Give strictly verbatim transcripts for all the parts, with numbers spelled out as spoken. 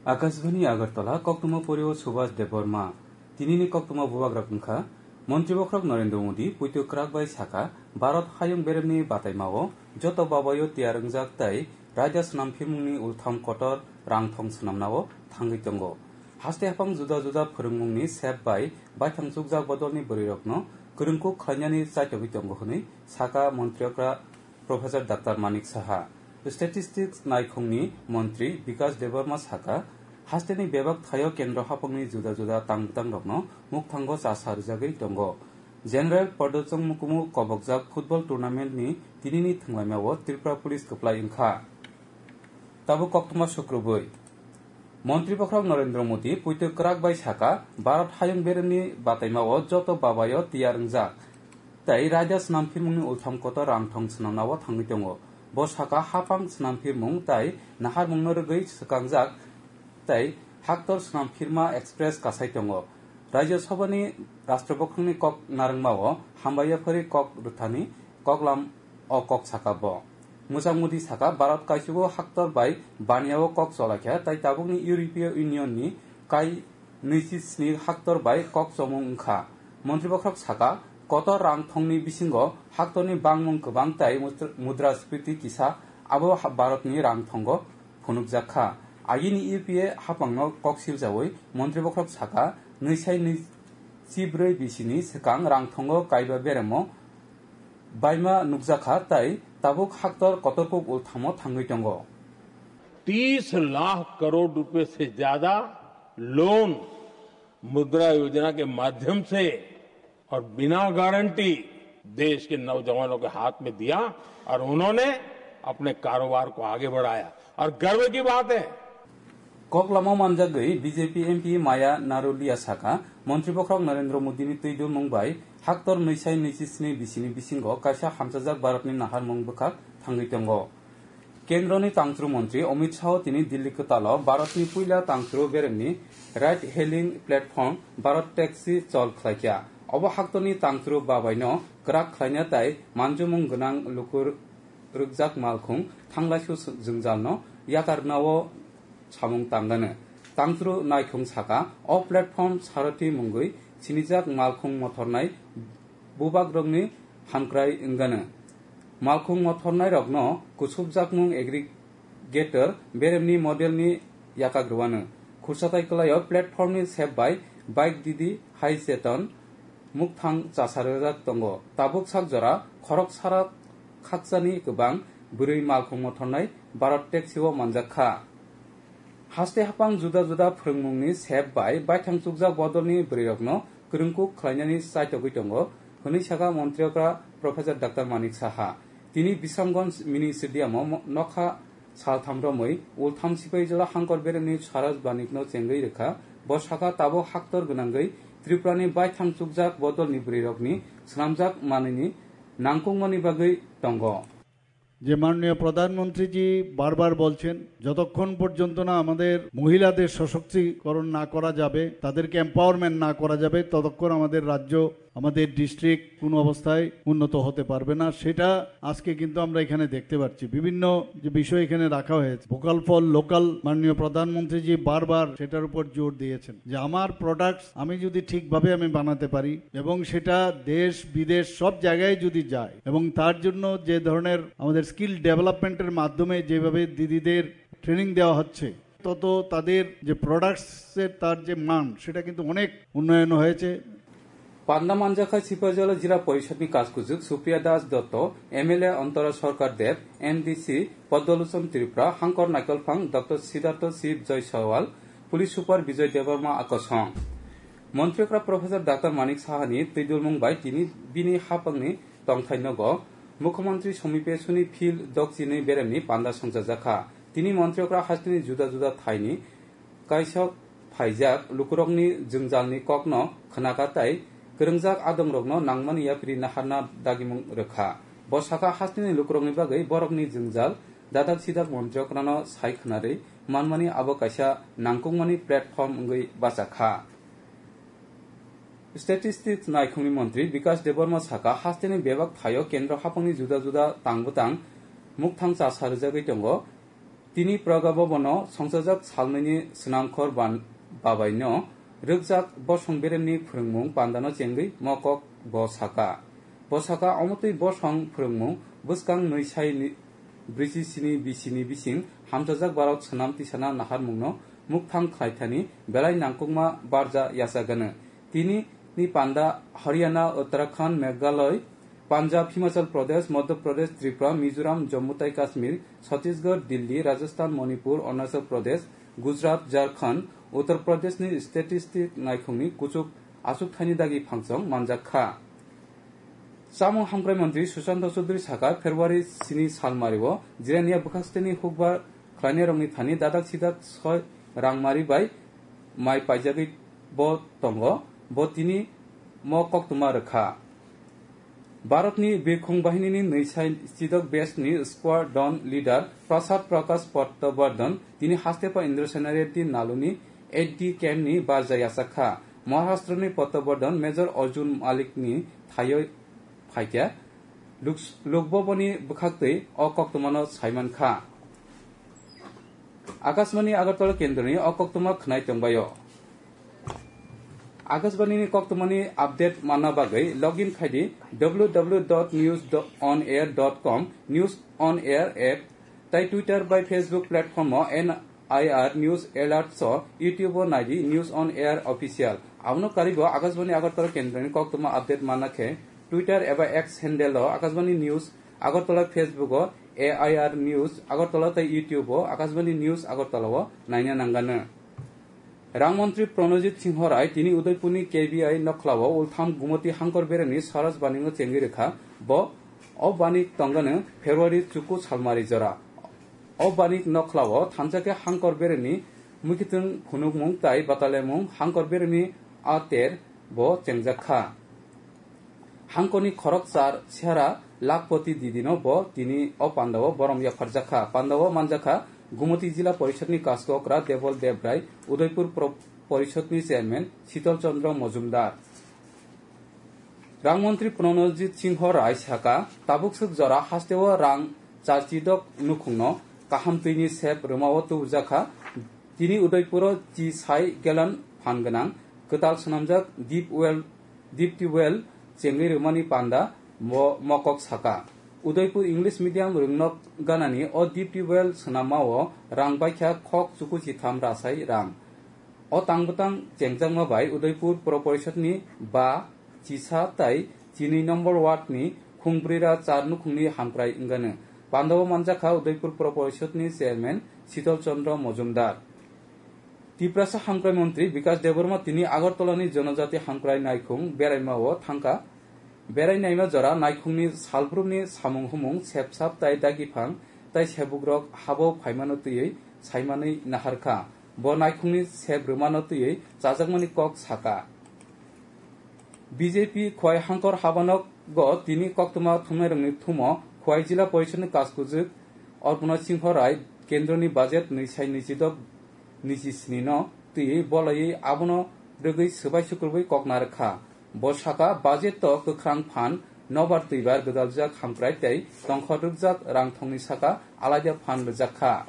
Akashbani Agartala, koktwma porio Subhas Debbarma. Tinini koktwma bubagrok wngkha, Montri Bokhorok Narendra Modi poito kwrak bai sakha, Bharat hayung beremni bataimao joto babaio tiyar wngjak tei raida swnam phirmungni ultham kotor rangthong swnamnao thangwi tongo. Haste haphang juda juda phwrwngmungni sep bai baithang chukjak bodolni bwrwirokno kwrwngkuk khlainani chaitogwi tongo hwnwi sakha Montri okra Professor Doctor Manik Saha. Statistics naikhungni montri Bikash Debbarma sakha, hasteni bebak thaio kendro haphangni juda juda tang bwtangrokno mukthango chasa rwjagwi tongo. General Pardachong Mukumu kobokjak football tournament ni tinini thwnglaimao Tripura Police kwplai wngkha. Tabuk koktwma sukrubwi. Montri Bokhorok Narendra Modi poito kwrak bai sakha, Bharat hayung beremni bataimao joto babaio tiyar wngjak tei raida swnam phirmungni ultham kotor rangthong swnamnao thangwi tongo. Bo sakha, haphang swnam phirmung tei naharmungno rwgwi swkangjak tei haktor swnam phirma express kasai tongo. Rajya Sabhani Rashtra Bwkhwrangni kok narwngmao hambai yaphari kok rwthani koklam o kok sakha bo. Mwchang Modi sakha, Bharat kaisugo haktor bai baniao kok cholaikha, tei tabukni European Union ni kai nwichi sni haktor bai kok chomung wngkha. Montri Bokhorok sakha, kotor rang thongni bisingo haktorni bangmung kwbang tei mudra-, mudrasphiti kisa abo ha-, Bharatni rang thongo phunukjak kha. Agini U P A haphangno kok siljaui Montri Bokhorok sakha, nwisai nwichi bwrwi bisini swkang rang thongo kaiba beremo baima nukjakha tei tabuk haktor kotorkuk ulthamo thangwi tongo. तीस लाख करोड़ रुपए से ज्यादा लोन मुद्रा योजना के माध्यम से और बिना गारंटी देश के नौजवानों के हाथ में दिया और उन्होंने अपने कारोबार को आगे बढ़ाया और गर्व की बात है। Koklamo manjagwi B J P M P Maya Narulia sakha, Montri Bokhorok Narendra Modi ni twi dulmung bai haktor nwisai nwichi sni bisini bisingo kaisa hamchajak Bharat ni naharmung bwkhak thangwi tongo. Kendroni tangchru montri Amit Shah tini Delhi kwtalo Bharatni puila tangchru beremni ride hailing platform Bharat Taxi chol khlaikha. Obo haktorni tangchru babaino kwrak khlaina tei manjumung gwnang luku rwkjak malkhung thanglaisu jwngjalno yakarnao samung tangano. Tangchru naikhung sakha, o platform Sarathi mungwi sinijak malkhung mothornai bubagrokni hamkrai wngano. Malkhung mothornairokno kuchukjakmung aggregator beremni modelni yakak rwano. Khursatai kwlaio platformni sep bai bike didi hai cheton mukthang chasarjak tongo. Tabuk sak jora khorok sara khakchani kwbang bwrwi malkhung mothornai Bharat Taxi o manjak kha. Haste haphang juda juda phwrwngmungni sep bai baithang chukjak bodolni bwrwirokno kwrwngkuk khlainani chaitogwi tongo, hwnwi sakha Montri okra Professor Doctor Manik Saha. Tini Bisramganj Mini Stadium o mo-, nokha saltham romwi ultham sipai jora hangkor beremni Saraj Banikno chengwi rwkha. Bo sakha, tabuk haktor gwnangwi Tripurani baithang chukjak bodolni bwrwirokni swnamjak manwini nangkukmani bagwi tongo. যে মাননীয় প্রধানমন্ত্রীজি বারবার বলছেন, যতক্ষণ পর্যন্ত না আমাদের মহিলাদের সশক্তিকরণ না করা যাবে, তাদেরকে এম্পাওয়ারমেন্ট না করা যাবে, ততক্ষণ আমাদের রাজ্য, আমাদের ডিস্ট্রিক্ট কোনো অবস্থায় উন্নত হতে পারবে না। সেটা আজকে কিন্তু আমরা এখানে দেখতে পাচ্ছি, বিভিন্ন যে বিষয় এখানে রাখা হয়েছে, ভোকাল ফর লোকাল, মাননীয় প্রধানমন্ত্রীজি বারবার সেটার উপর জোর দিয়েছেন যে আমার প্রোডাক্টস আমি যদি ঠিকভাবে আমি বানাতে পারি এবং সেটা দেশ বিদেশ সব জায়গায় যদি যায় এবং তার জন্য যে ধরনের আমাদের স্কিল ডেভেলপমেন্টের মাধ্যমে যেভাবে দিদিদের ট্রেনিং দেওয়া হচ্ছে, তত তাদের যে প্রোডাক্টসের তার যে মান, সেটা কিন্তু অনেক উন্নয়ন হয়েছে। Panda manjakha Sipahijala Jila Porishodni Kaskujuk Supriya Das Dotto, M L A Antara Sarkar Deb, M D C Padmalochon Tripura, Hangkor Naikolphang Doctor Siddhartho Shiv Joy Sawal, Police Super Bijoy Debbarma Akosong. Montri okra Professor Doctor Manik Sahani twidulmung bai tini bini haphangni tongthai nogo Mukhyamantri Somipe Suni Field Dokchini beremni panda songchajakha. Tini montri okra hasteni juda juda thaini kaisok phaijak lukurokni jwngjalni kokno khnakha tei kwrwngjak adongrokno nangmani yapri naharna dagimung rwkha. Bo sakha, hasteni lukurokni bagwi borokni jwngjal dadak sidak montri okrano sai khwnarwi manmani abo kaisa nangkukmani platform wngwi bachakha. Statistics naikhungni montri Bikash Debbarma sakha, hasteni bebak thaio kendro haphangni juda juda tang bwtang mukthang chasa rwjagwi tongo. Tini Praga Bhavan-o songchajak salnwini swnamkhor ban-, babaino rwkjak bosong beremni phwrwngmung pandano chengwi mokok bo saka. Bo saka omotwi bosong phwrwngmung bwskang nwi sai ni-, brwichi sini bisini bising hamchajak Bharat swnam tisana naharmungno mukthang khlaithani belai nangkukma barja yachagano. Tini ni panda Haryana, Uttarakhand, Meghalaya, Punjab, Himachal Pradesh, Madhya Pradesh, Tripura, Mizoram, Jammu tai Kashmir, Chhattisgarh, Delhi, Rajasthan, Manipur, Arunachal Pradesh, Gujarat, Jharkhand, Uttar Pradesh ni statistic naikhungni kuchuk achukthani dagi phangchong manjak kha. Chamung hamkrai montri Sushanta Chaudhary saka, February sini salmario Jirania bwkhaksteni hukbar khlainairokni thani dadak sidak soi rangmari bai mai paijagwi bo tongo, bo tini mo koktwma rwkha. Bharatni birkhung bahinini nwi sai chidok batch ni squadron leader Prasad Prakash Pattabardhan tini haste pa Indra Sena Reddy Naluni eight D camp ni barja yachak kha. Maharashtra ni Pattabardhan Major Arjun Malik ni thayoi phaikha. Luk-, Lok Bhavan ni bwkhaktwi o koktwmano saiman kha. Akashbani Agartala kendroni o koktwma khwnai tongbaio. Akashbani ni koktwmani update manna bagwi login khaidi w w w dot news on air dot com, News on Air app, tai Twitter bai Facebook platform o N I R News Alert so YouTube o naidi News on Air Official. Abono karibo Akashbani Agartala kendroni koktwma update manna khe Twitter eba X handle o Akashbani News Agartala, Facebook o A I R News Agartala tai YouTube o Akashbani News Agartala o naina nangano. Rang montri Pranojit Singho Rai tini Udaipurni K B I nokhlao ultham Gumoti hangkor beremni Saraj Baningo chengwi rwkha. Bo o banik tongano February chuku salmari jora. O banik nokhlao thansa khe hangkor beremni mwkhitwng phunukmung tai batalemung hangkor beremni a ter bo chengjak kha. Hangkorni khorok char sera Lakhpati Didino bo tini o pandao borom yapharjakha. Pandao manjakha Gumoti Jila Porishadni Kaskokra Debol Debrai, Udaipur Pro-, Porishadni Chairman Sital Chandra Mojumdar. Rang montri Pranojit Singho Rai saka, tabukswk jora hasteo rang charchidok nukhungno kaham twini sep rwmao tubujakha. Tini Udaipuro chi sai gallon phan gwnang kwtal swnamjak deep well, deep tubewell chengwi rwmani panda mo-, mokok saka. Udaipur English Medium rwngnok ganani o deep tubewell swnamao rang baikha khok chuku chitham rasai rang. O tangbwtang chengjakma bai Udaipur Pro Porishadni ba chisa tai chinwi number ward ni khungbrwi ra char nukhungni hamkrai wngano. Pandao manjakha Udaipur Pro Porishadni Chairman Sital Chandra Mojumdar. Tiprasa hamkrai montri Bikas Debbarma tini Agartalani Jonojati hamkrai naikhung beraimao thangkha. Berai naima jora naikhungni salbrumni samung humung sepsap tai dagiphang tai sebukrok habo phaimano twiwi saimanwi naharkha. Bo naikhungni sep rwmano twiwi chajakmani kok saka. B J P Khwai hangkor habanogo tini koktwma thumnairokni thumo Khwai Jila Porishadni Kaskujwk Arpana Singho Rai kendroni budget nwi sai nwi chidok nwi chi sni no twiwi bolaiwi abono rwgwi swbai sukrubwi kok narwkha. Bo saka budget o kwkhrang phan nobar twibar gwdaljak hamkrai tei tongkhor rwkjak rang thongni saka alaida phan rwjakha.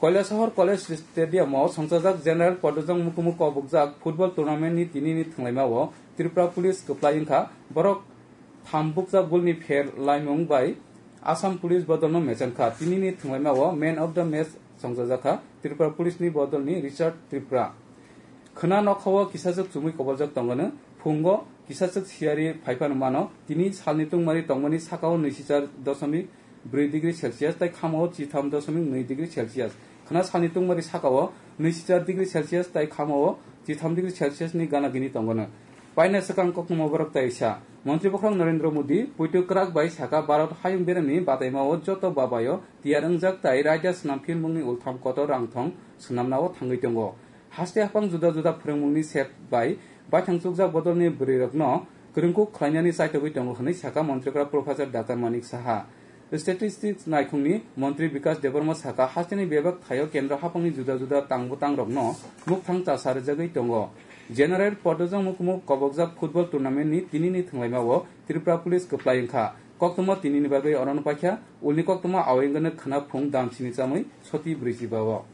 Kailasahar College Stadium o songchajak General Padojang Mukumu kobokjak football tournament ni tini ni thwnglaima o Tripura Police kwplai wngkha. Borok tham bukjak goal ni pher laimung bai Assam Police bodol no mechang kha. Tini ni thwnglaima o man of the match songchajak kha Tripura Police ni bodol ni Richard Tripura. Khwna nokha o kisachwk chumui koboljak tongano, phungo kisachwk siyari phaiphano mano. Tini salni tungmari tongmani saka o nwichi char doshomik bwrwi degree Celsius tai khama o chitham doshomik nwi degree Celsius. Khwna salni tungmari saka o nwichi char degree Celsius tai khama o chitham degree Celsius ni gana gini tongano. Paina swkang kokno mubarak tai sa. Montri Bokhorok Narendra Modi poito kwrak bai saka Bharat hayung beremni bataima o joto babayo tiyar wngjak tai raida swnam philmungni ultham kotor rangthong swnamna o thangwi tongo. Haste haphang juda juda phwrwngmungni sep bai baithang chukjak bodolni bwrwirokno kwrwngkuk khlainani chaitogwi tongo hwnwi sakha Montrikra Professor Doctor Manik Saha. Statistics naikhungni Montri Bikas Debbarma sakha, hasteni bebak thaio kendro haphangni juda juda tangbutangrokno mukthang chasa rwjagwi tongo. General Padojang Mukumu kobokjak football tournamentni tinini thwnglaimao Tripura Police kwplai wngkha. Koktwma tinini bagwi orono paikha, ulni koktwma awai wngkha khwna phung dam sini chamwi soti brwichi bao.